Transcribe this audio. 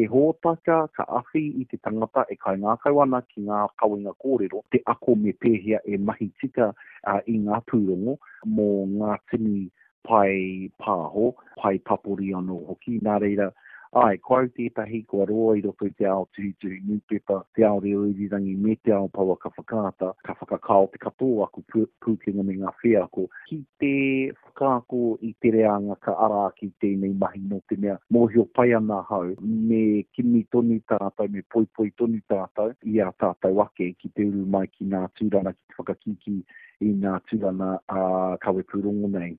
He hōtaka ka awhi i te tangata e kaingākau ana ki ngā kawenga kōrero, te ako me pēhea e mahi tika i ngā pūrongo mō ngā tini pae pāho, pae papori anō hoki. Nā reira, āe, ko au tētahi kua roa i roto i te ao tuhituhi nūpepa, te ao reo irirangi me te ao pouaka whakaata, ka whakakao te katoa o aku pūkenga me ngā wheako ki te whakaako i te reanga ka ara ake i tēnei mahi nō te mea mōhio pai ana ahau me kimi tonu tātou, me poipoi tonu tātou i a tātou ake ki te uru mai ki ngā tūrana, ki te whakakīkī i ngā tūrana ā kawepūrongo nei.